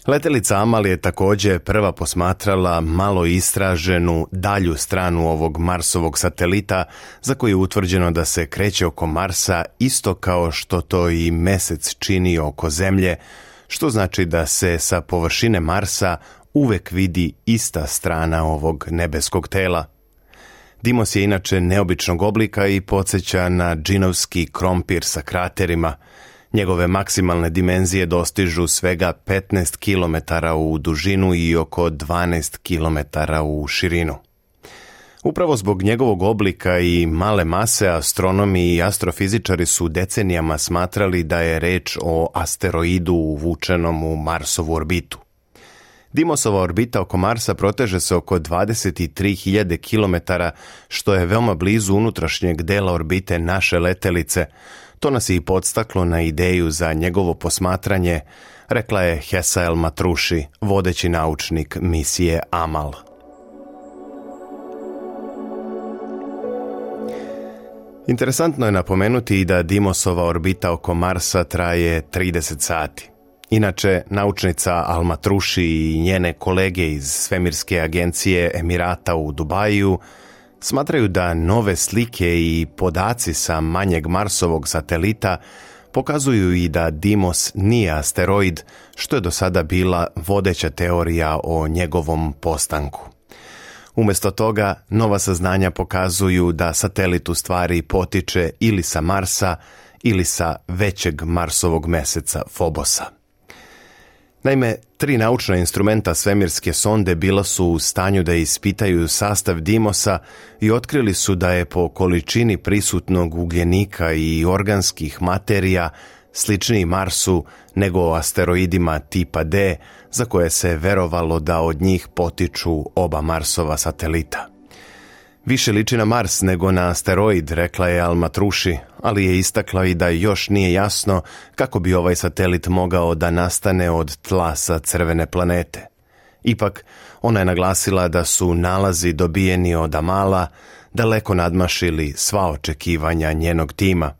Letelica Amal je također prva posmatrala malo istraženu dalju stranu ovog Marsovog satelita, za koji je utvrđeno da se kreće oko Marsa isto kao što to i Mesec čini oko Zemlje, što znači da se sa površine Marsa uvek vidi ista strana ovog nebeskog tela. Dimos je inače neobičnog oblika i podsjeća na džinovski krompir sa kraterima. Njegove maksimalne dimenzije dostižu svega 15 km u dužinu i oko 12 km u širinu. Upravo zbog njegovog oblika i male mase, astronomi i astrofizičari su decenijama smatrali da je reč o asteroidu uvučenom u Marsovu orbitu. Dimosova orbita oko Marsa proteže se oko 23.000 km, što je veoma blizu unutrašnjeg dela orbite naše letelice. To nas je i podstaklo na ideju za njegovo posmatranje, rekla je Hesa El-Matrushi, vodeći naučnik misije Amal. Interesantno je napomenuti i da Dimosova orbita oko Marsa traje 30 sati. Inače, naučnica Al-Matrushi i njene kolege iz Svemirske agencije Emirata u Dubaju smatraju da nove slike i podaci sa manjeg Marsovog satelita pokazuju i da Dimos nije asteroid, što je do sada bila vodeća teorija o njegovom postanku. Umjesto toga, nova saznanja pokazuju da satelit u stvari potiče ili sa Marsa ili sa većeg Marsovog meseca Fobosa. Naime, 3 naučna instrumenta svemirske sonde bila su u stanju da ispitaju sastav Dimosa i otkrili su da je po količini prisutnog ugljenika i organskih materija sličniji Marsu nego asteroidima tipa D, za koje se verovalo da od njih potiču oba Marsova satelita. Više liči na Mars nego na asteroid, rekla je Al-Matrushi, ali je istakla i da još nije jasno kako bi ovaj satelit mogao da nastane od tla sa crvene planete. Ipak, ona je naglasila da su nalazi dobijeni od Amala daleko nadmašili sva očekivanja njenog tima.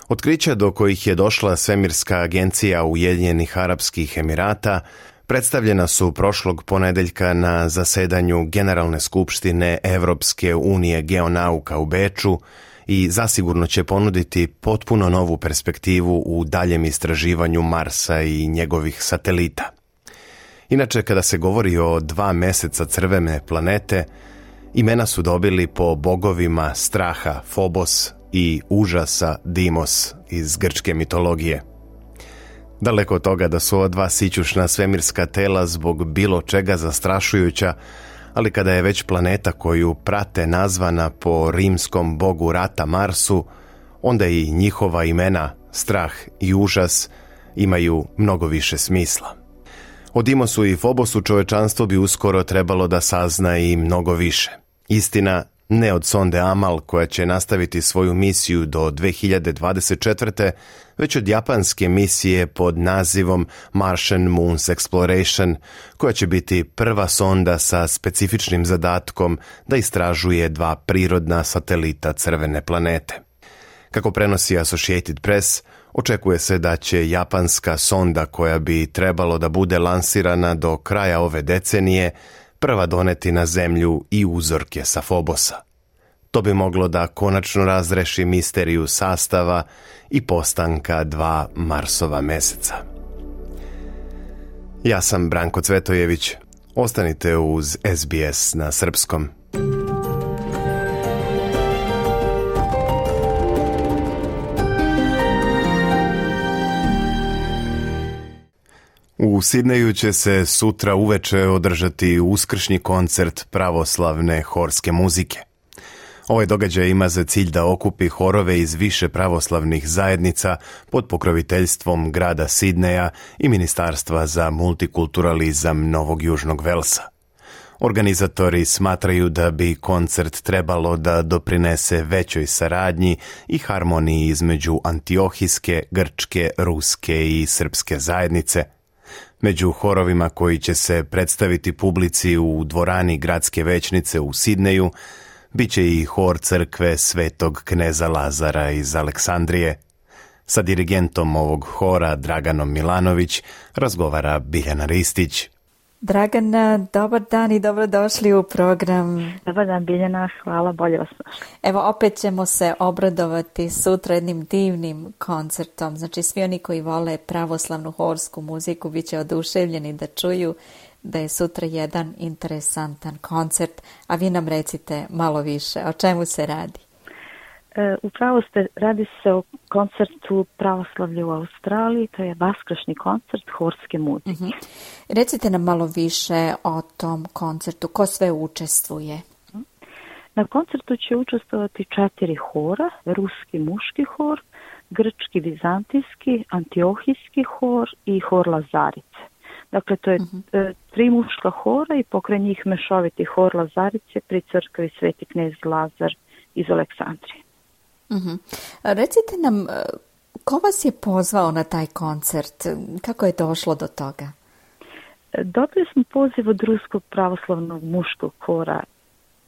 Otkrića do kojih je došla Svemirska agencija Ujedinjenih Arapskih Emirata predstavljena su prošlog ponedeljka na zasedanju Generalne skupštine Evropske unije geonauka u Beču i zasigurno će ponuditi potpuno novu perspektivu u daljem istraživanju Marsa i njegovih satelita. Inače, kada se govori o 2 meseca crvene planete, imena su dobili po bogovima straha Phobos i užasa Dimos iz grčke mitologije. Daleko od toga da su ova 2 sićušna svemirska tela zbog bilo čega zastrašujuća, ali kada je već planeta koju prate nazvana po rimskom bogu rata Marsu, onda i njihova imena, strah i užas, imaju mnogo više smisla. O Dimosu i Fobosu čovečanstvo bi uskoro trebalo da sazna i mnogo više. Istina, ne od sonde Amal koja će nastaviti svoju misiju do 2024. već od japanske misije pod nazivom Martian Moons Exploration, koja će biti prva sonda sa specifičnim zadatkom da istražuje 2 prirodna satelita crvene planete. Kako prenosi Associated Press, očekuje se da će japanska sonda koja bi trebalo da bude lansirana do kraja ove decenije prva doneti na Zemlju i uzorke sa Fobosa. To bi moglo da konačno razreši misteriju sastava i postanka 2 Marsova meseca. Ja sam Branko Cvetojević. Ostanite uz SBS na srpskom. U Sidneju će se sutra uveče održati uskršnji koncert pravoslavne horske muzike. Ovaj događaj ima za cilj da okupi horove iz više pravoslavnih zajednica pod pokroviteljstvom grada Sidneja i Ministarstva za multikulturalizam Novog Južnog Velsa. Organizatori smatraju da bi koncert trebalo da doprinese većoj saradnji i harmoniji između antiohijske, grčke, ruske i srpske zajednice. Među horovima koji će se predstaviti publici u dvorani gradske većnice u Sidneju biće i hor crkve Svetog kneza Lazara iz Aleksandrije. Sa dirigentom ovog hora, Draganom Milanović, razgovara Biljana Ristić. Dragana, dobar dan i dobrodošli u program. Dobar dan Biljana, hvala, bolje vas našli. Evo, opet ćemo se obradovati sutra jednim divnim koncertom. Znači, svi oni koji vole pravoslavnu horsku muziku bit će oduševljeni da čuju da je sutra jedan interesantan koncert, a vi nam recite malo više. O čemu se radi? Upravo ste, radi se o koncertu pravoslavlja u Australiji, to je vaskršnji koncert horske muzike. Recite nam malo više o tom koncertu, ko sve učestvuje? Na koncertu će učestvovati 4 hora, ruski muški hor, grčki vizantijski, antiohijski hor i hor Lazarice. Dakle, to je 3 muška hora i pokraj njih mešoviti hor Lazarice pri crkvi Sveti knez Lazar iz Aleksandrije. Recite nam, ko vas je pozvao na taj koncert? Kako je došlo do toga? Dobili smo poziv od Ruskog pravoslavnog muškog hora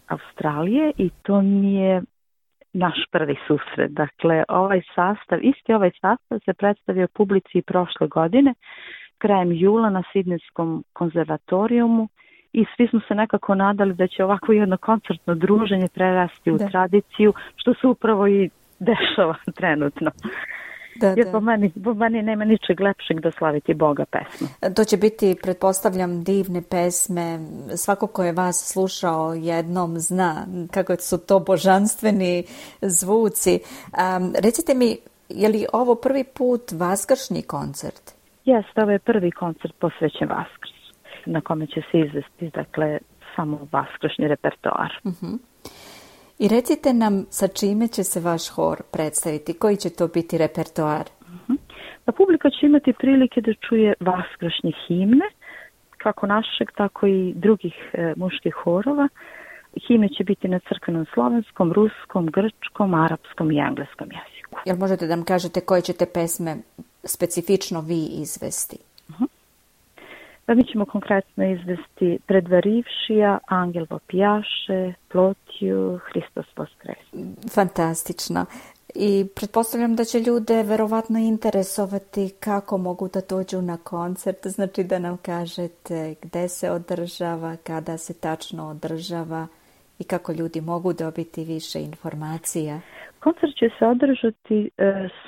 Australije i to mi je naš prvi susret. Dakle, isti ovaj sastav se predstavio publici prošle godine, krajem jula na Sidnejskom konzervatorijumu i svi smo se nekako nadali da će ovako jedno koncertno druženje prerasti u tradiciju, što se upravo i dešava trenutno. Jer po meni nema ničeg lepšeg da slaviti Boga pesmu. To će biti, pretpostavljam, divne pesme. Svako ko je vas slušao jednom zna kako su to božanstveni zvuci. Recite mi, je li ovo prvi put vaskršnji koncert? Jeste, ovo je prvi koncert posvećen Vaskrsu, na kome će se izvesti, dakle, samo vaskršnji repertoar. I recite nam sa čime će se vaš hor predstaviti, koji će to biti repertoar? Pa publika će imati prilike da čuje vaskršnje himne, kako našeg, tako i drugih muških horova. Himne će biti na crkvenom slovenskom, ruskom, grčkom, arapskom i engleskom jeziku. Jel možete da nam kažete koje ćete pesme specifično vi izvesti? Da, mi ćemo konkretno izvesti Predvarivšija, Angel vopjaše, Plotju, Hristos voskres. Fantastično. I pretpostavljam da će ljude verovatno interesovati kako mogu da dođu na koncert, znači da nam kažete gde se održava, kada se tačno održava i kako ljudi mogu dobiti više informacija. Koncert će se održati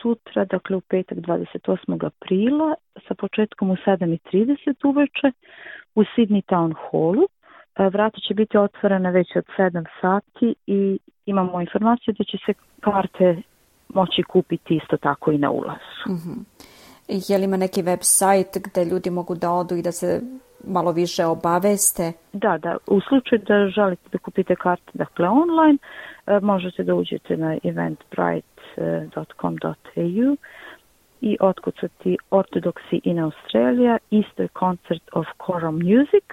sutra, dakle u petak 28. aprila, sa početkom u 7:30 uveče u Sydney Town Hallu. Vrata će biti otvorena već od 7 sati i imamo informaciju da će se karte moći kupiti isto tako i na ulazu. Je li ima neki web sajt gde ljudi mogu da odu i da se malo više obaveste? Da, u slučaju da želite da kupite karte, dakle online, možete da uđete na eventbrite.com.au i otkucati Orthodoxy in Australia, Easter Concert of Choral Music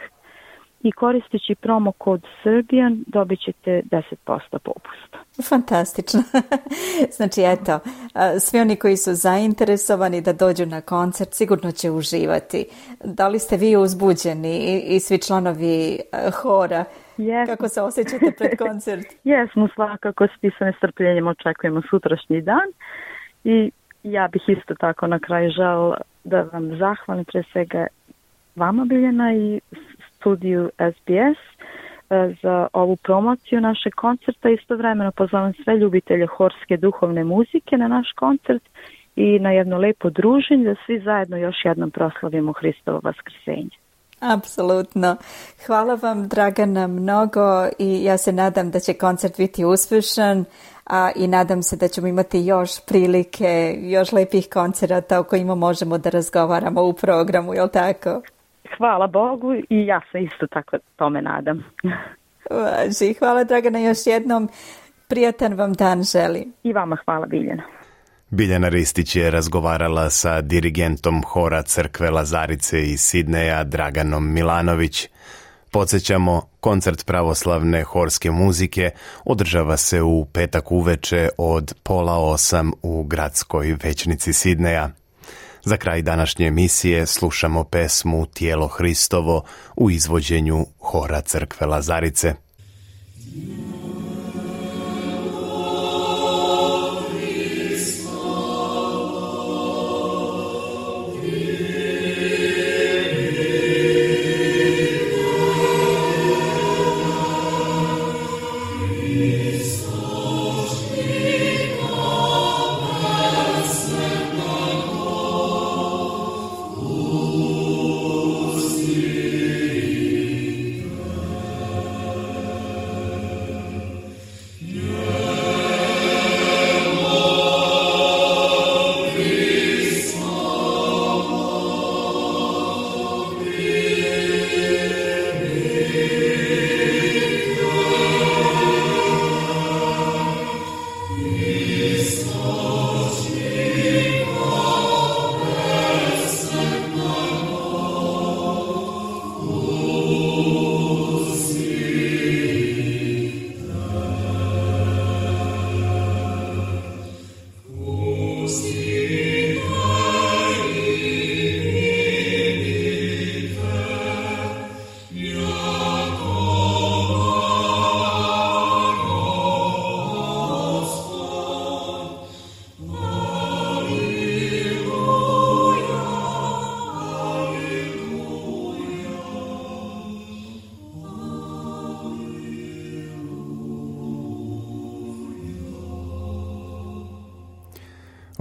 i koristeći promo kod Serbian dobit ćete 10% popusta. Fantastično. Znači, eto, svi oni koji su zainteresovani da dođu na koncert sigurno će uživati. Da li ste vi uzbuđeni i svi članovi hora? Yes. Kako se osjećate pred koncert? Jesmo, svakako svi sa nestrpljenjem očekujemo sutrašnji dan i ja bih isto tako na kraju želela da vam zahvalim pre svega vama, Biljana, i studiju SBS za ovu promociju našeg koncerta. Istovremeno pozovem sve ljubitelje horske duhovne muzike na naš koncert i na jedno lepo druženje da svi zajedno još jednom proslavimo Hristovo vaskrsenje. Apsolutno. Hvala vam, Dragana, mnogo i ja se nadam da će koncert biti uspešan, i nadam se da ćemo imati još prilike, još lepih koncerata o kojima možemo da razgovaramo u programu, jel tako? Hvala Bogu i ja se isto tako tome nadam. Važi. Hvala, Dragana, još jednom. Prijatan vam dan želim. I vama hvala, Biljana. Biljana Ristić je razgovarala sa dirigentom hora crkve Lazarice iz Sidneja, Draganom Milanović. Podsjećamo, koncert pravoslavne horske muzike održava se u petak uveče od 7:30 u gradskoj većnici Sidneja. Za kraj današnje emisije slušamo pesmu Tijelo Hristovo u izvođenju hora crkve Lazarice.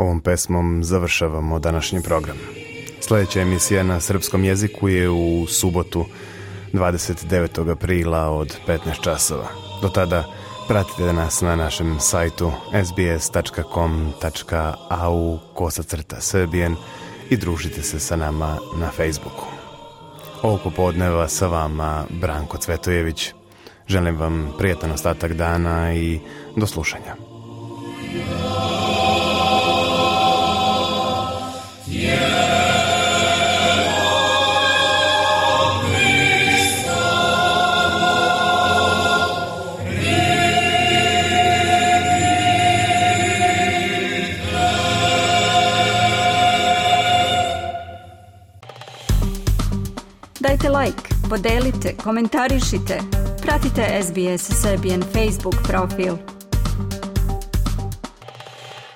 Ovom pesmom završavamo današnji program. Sljedeća emisija na srpskom jeziku je u subotu 29. aprila od 15 časova. Do tada pratite nas na našem sajtu sbs.com.au/Serbian i družite se sa nama na Facebooku. Ovog popodneva sa vama Branko Cvetojević. Želim vam prijatan ostatak dana i do slušanja. Dajte like, podelite, komentarišite, pratite SBS Serbian Facebook profil.